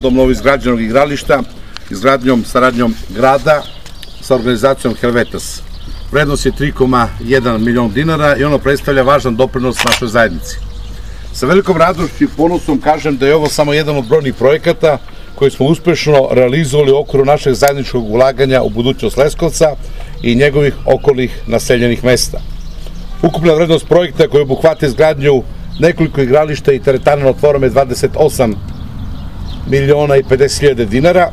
Novoizgrađenog igrališta, izgradnjom, saradnjom grada sa organizacijom Helvetas. Vrednost je 3,1 milion dinara i ono predstavlja važan doprinos našoj zajednici. Sa velikom radošću i ponosom kažem da je ovo samo jedan od brojnih projekata koji smo uspešno realizovali u okviru našeg zajedničkog ulaganja u budućnost Leskovca i njegovih okolnih naseljenih mesta. Ukupna vrednost projekta koji obuhvata izgradnju nekoliko igrališta i teretana na otvorenom je 28 miliona i 50.000 dinara.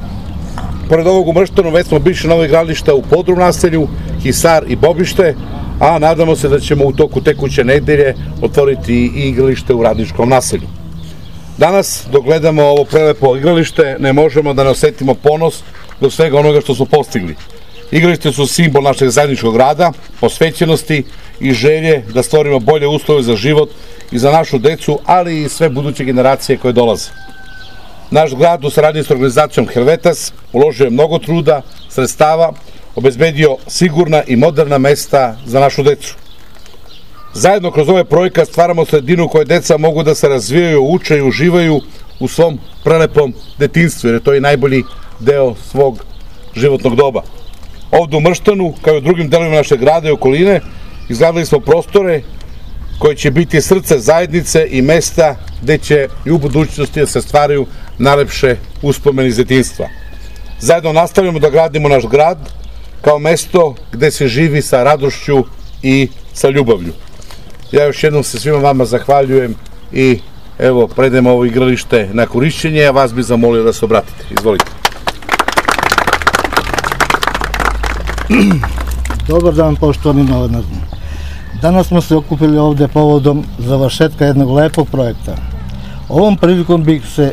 Pored ovog u Mrštanu već smo biše novo igrališta u Podrum naselju, Hisar i Bobište, a nadamo se da ćemo u toku tekuće nedelje otvoriti i igralište u Radničkom naselju. Danas, dok gledamo ovo prelepo igralište, ne možemo da ne osetimo ponos do svega onoga što smo postigli. Igralište su simbol našeg zajedničkog rada, posvećenosti i želje da stvorimo bolje uslove za život i za našu decu, ali i sve buduće generacije koje dolaze. Naš grad u saradnji s organizacijom Helvetas uložio je mnogo truda, sredstava, obezbedio sigurna i moderna mesta za našu decu. Zajedno kroz ovaj projekat stvaramo sredinu u kojoj deca mogu da se razvijaju, uče i uživaju u svom prelepom detinjstvu, jer je to i najbolji deo svog životnog doba. Ovde u Mrštanu, kao i u drugim delovima našeg grada i okoline, izgradili smo prostore koje će biti srce zajednice i mesta gde će i u budućnosti da se stvaraju najlepše uspomene iz detinjstva. Zajedno nastavljamo da gradimo naš grad kao mesto gde se živi sa radošću i sa ljubavlju. Ja još jednom se svima vama zahvaljujem i evo predajem ovo igralište na korišćenje, a vas bih zamolio da se obratite. Izvolite. Dobar dan, poštovani novinari. Danas smo se okupili ovde povodom završetka jednog lepog projekta. Ovom prilikom bih se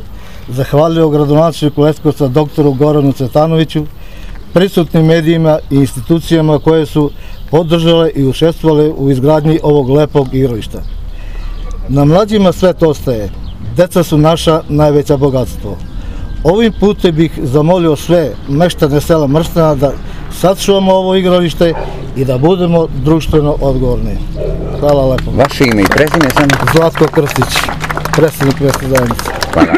zahvalio gradonačelniku Leskovca doktoru Goranu Cvetanoviću, prisutnim medijima i institucijama koje su podržale i učestvovale u izgradnji ovog lepog igrališta. Na mlađima svet ostaje. Deca su naša najveća bogatstvo. Ovim putem bih zamolio sve meštane sela Mrštana da sačuvamo ovo igralište i da budemo društveno odgovorni. Hvala lepo. Vaše ime i prezime samo? Zlatko Krstić, predsednik mesne zajednice. Hvala.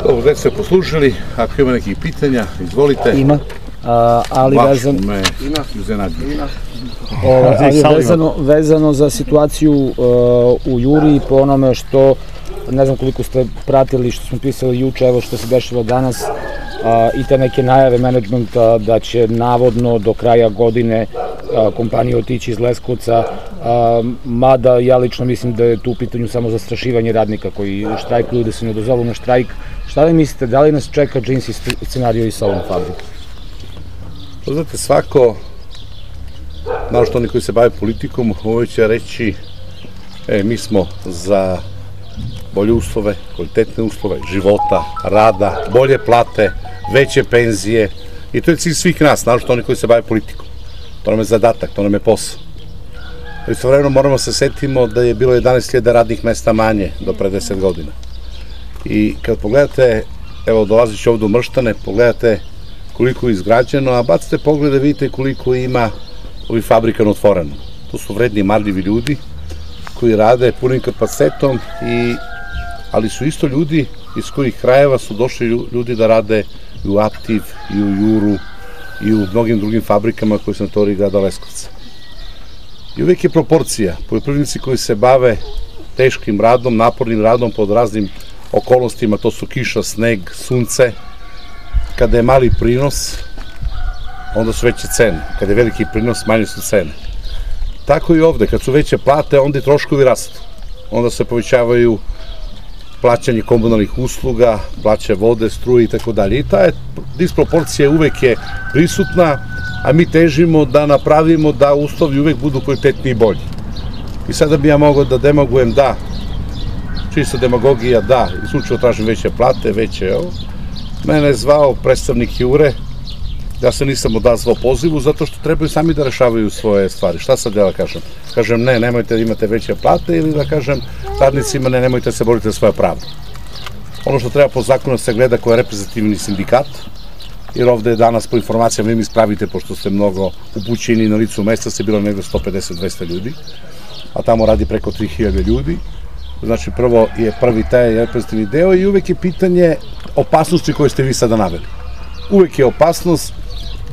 Dobro, već ste poslušali, ako ima nekih pitanja, izvolite. Ima, ali vezano za situaciju u Juri, po onome što, ne znam koliko ste pratili, što smo pisali juče, evo što se dešava danas, i te neke najave menadžmenta da će navodno do kraja godine kompanija otići iz Leskovca, mada ja lično mislim da je tu u pitanju samo zastrašivanje radnika koji štrajkuju, da se ne dozovu na štrajk. Šta vi mislite, da li nas čeka džinsi scenario i sa ovom fabrikom? Znate, svako, naročito oni koji se bave politikom, ovo će reći mi smo za bolje uslove, kvalitetne uslove života, rada, bolje plate, veće penzije i to je cilj svih nas, naročito oni koji se bave politikom. To nam je zadatak, to nam je posao. Istovremeno moramo se setimo da je bilo 11.000 radnih mesta manje do pre 10 godina. I kad pogledate, evo dolazit ću ovde u Mrštane, pogledate koliko je izgrađeno, a bacite pogled da vidite koliko ima ovih fabrika na otvoreno. To su vredni, marljivi ljudi koji rade punim kapacitetom, ali su isto ljudi iz kojih krajeva su došli ljudi da rade i u Aptiv, i u Juru, i u mnogim drugim fabrikama koji su na teritoriji grada Leskovca. I uvek je proporcija. Poljoprivrednici koji se bave teškim radom, napornim radom pod raznim okolnostima, to su kiša, sneg, sunce, kada je mali prinos, onda su veće cene. Kada je veliki prinos, manje su cene. Tako i ovde, kad su veće plate, onda i troškovi rastu. Onda se povećavaju plaćanje komunalnih usluga, plaće vode, struje i tako dalje. I ta disproporcija uvek je prisutna, a mi težimo da napravimo da uslovi uvek budu kvalitetniji i bolji. I sada bi ja mogao da demagujem da, čisto demagogija da, isključivo tražim veće plate, veće ovo. Mene je zvao predstavnik Jure, ja se nisam odazvao pozivu zato što trebaju sami da rešavaju svoje stvari. Šta sad ja da kažem? Kažem ne, nemojte da imate veće plate ili da kažem radnicima ne, nemojte se boriti za svoje pravo. Ono što treba po zakonu se gleda ko je reprezentativni sindikat, jer ovde je danas po informacijama vi mi ispravite, pošto ste mnogo upućeni na licu mesta, se bilo negde 150-200 ljudi, a tamo radi preko 3000 ljudi. Znači, prvo je prvi taj reprezentativni deo i uvek je pitanje opasnosti koje ste vi sada naveli. Uvek je opasnost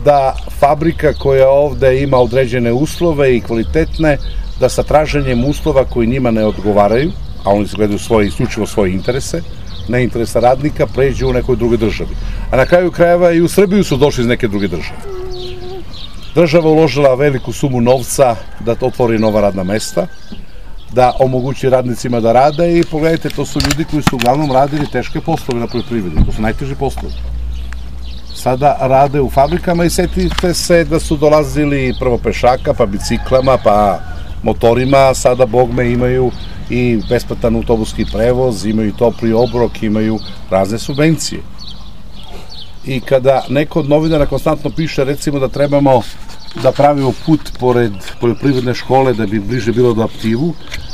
da fabrika koja ovde ima određene uslove i kvalitetne, da sa traženjem uslova koji njima ne odgovaraju, a oni se gledaju isključivo svoje interese, ne interesa radnika, pređu u nekoj drugoj državi. A na kraju krajeva i u Srbiju su došli iz neke druge države. Država uložila veliku sumu novca da otvori nova radna mesta, da omogući radnicima da rade i pogledajte, to su ljudi koji su uglavnom radili teške poslove na poljoprivredi, to su najteži poslovi. Sada rade u fabrikama i setite se da su dolazili prvo pešaka, pa biciklama, pa motorima, sada bogme imaju i besplatan autobuski prevoz, imaju topli obrok, imaju razne subvencije. I kada neko od novinara konstantno piše, recimo, da trebamo da pravimo put pored poljoprivredne škole da bi bliže bilo do Aptivu,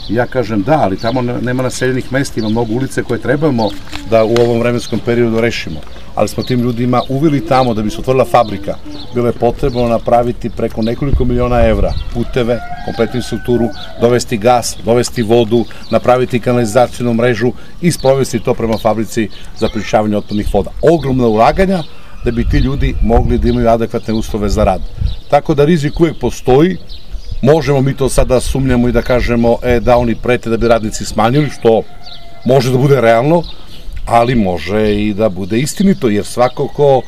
ja kažem da, ali tamo nema naseljenih mesta, ima mnogo ulice koje trebamo da u ovom vremenskom periodu rešimo. Ali smo tim ljudima uveli tamo da bi se otvorila fabrika. Bilo je potrebno napraviti preko nekoliko miliona evra puteve, kompletnu infrastrukturu, dovesti gas, dovesti vodu, napraviti kanalizacijnu mrežu i sprovesti to prema fabrici za prečišćavanje otpadnih voda. Ogromna ulaganja da bi ti ljudi mogli da imaju adekvatne uslove za rad. Tako da rizik uvek postoji. Možemo mi to sada sumnjamo i da kažemo da oni prete da bi radnici smanjili, što može da bude realno, ali može i da bude istinito, jer svako ko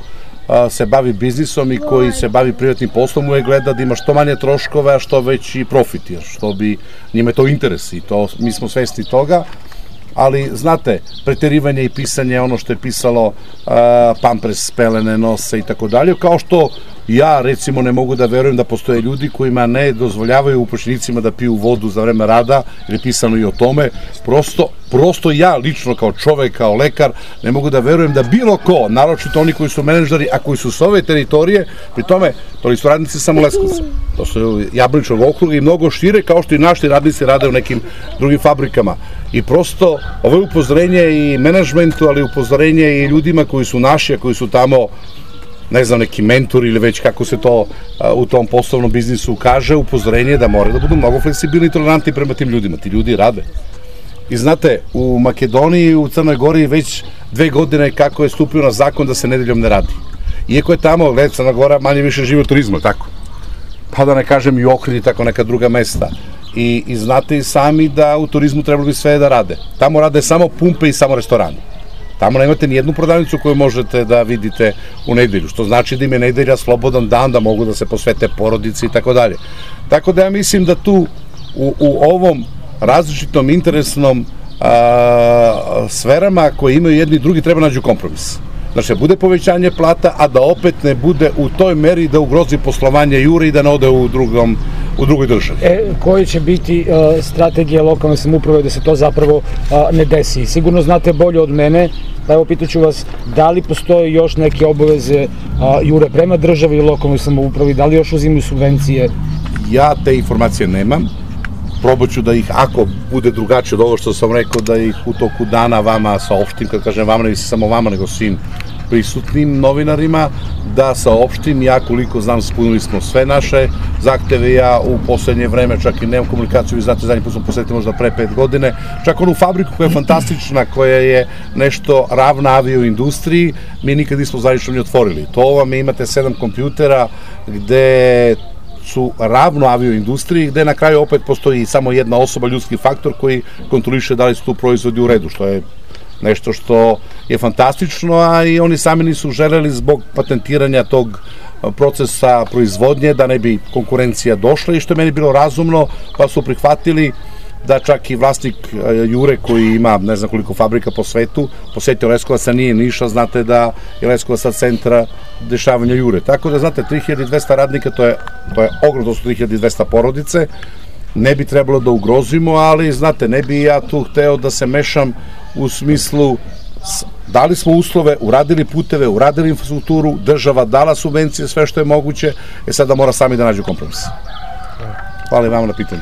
se bavi biznisom i koji se bavi privatnim poslom uvek gleda da ima što manje troškove, a što veći profit, jer što bi njime to interes i to, mi smo svesni toga, ali znate, preterivanje i pisanje ono što je pisalo pampres, pelene, nose i tako dalje, kao što ja recimo ne mogu da verujem da postoje ljudi kojima ne dozvoljavaju upošljenicima da piju vodu za vreme rada, jer je pisano i o tome, prosto ja lično kao čovek, kao lekar, ne mogu da verujem da bilo ko, naročito oni koji su menadžeri, a koji su s ove teritorije, pri tome, to su radnici samo Leskovca, to su Jablaničkog okruga i mnogo šire, kao što i naši radnici rade u nekim drugim fabrikama. I prosto, ovo je upozorenje i menadžmentu, ali upozorenje i ljudima koji su naši, a koji su tamo, ne znam, neki mentor ili već kako se to u tom poslovnom biznisu kaže, upozorenje da moraju da budu mnogo fleksibilni i tolerantni prema tim ljudima. Ti ljudi rade. I znate, u Makedoniji i u Crnoj Gori već 2 godine kako je stupio na zakon da se nedeljom ne radi. Iako je tamo, Crna Gora manje više živi od turizma, tako? Pa da ne kažem i Ohrid i tako neka druga mesta. I znate i sami da u turizmu trebalo bi sve da rade. Tamo rade samo pumpe i samo restorani. Tamo nemate ni jednu prodavnicu koju možete da vidite u nedelju, što znači da im je nedelja slobodan dan, da mogu da se posvete porodici i tako dalje. Tako da ja mislim da tu u ovom različitom interesnom sferama koje imaju jedni i drugi treba nađu kompromis. Znači da bude povećanje plata, a da opet ne bude u toj meri da ugrozi poslovanje Jure i da ne ode u drugoj državi. Koje će biti strategije lokalne samouprave da se to zapravo ne desi? Sigurno znate bolje od mene, pa evo pitaću vas, da li postoje još neke obaveze Jure prema državi i lokalnoj samoupravi, da li još uzimaju subvencije? Ja te informacije nemam. Probat ću da ih, ako bude drugačije od ovo što sam rekao, da ih u toku dana vama saopštim, kad kažem vama, ne mislim samo vama, nego svim prisutnim novinarima, da saopštim. Ja koliko znam, ispunili smo sve naše zahteve. Ja u poslednje vreme čak i nemam komunikaciju, vi znate, zadnji put smo posvetili možda pre 5 godine, čak onu fabriku koja je fantastična, koja je nešto ravna avioindustriji, mi nikad nismo zvanično ni otvorili. To vam imate 7 kompjutera gde su ravno avioindustriji, gde na kraju opet postoji samo jedna osoba, ljudski faktor, koji kontroliše da li su tu proizvodi u redu, što je nešto što je fantastično, a i oni sami nisu želeli zbog patentiranja tog procesa proizvodnje da ne bi konkurencija došla, i što je meni bilo razumno, pa su prihvatili da čak i vlasnik Jure, koji ima ne znam koliko fabrika po svetu, posetio Leskovac, a nije Niša, znate da je Leskovac sad centra dešavanja Jure. Tako da, znate, 3200 radnika, to je ogromno, su 3200 porodice, ne bi trebalo da ugrozimo, ali, znate, ne bi ja tu hteo da se mešam u smislu, dali smo uslove, uradili puteve, uradili infrastrukturu, država dala subvencije, sve što je moguće, sada mora sami da nađu kompromis. Hvala i vama na pitanju.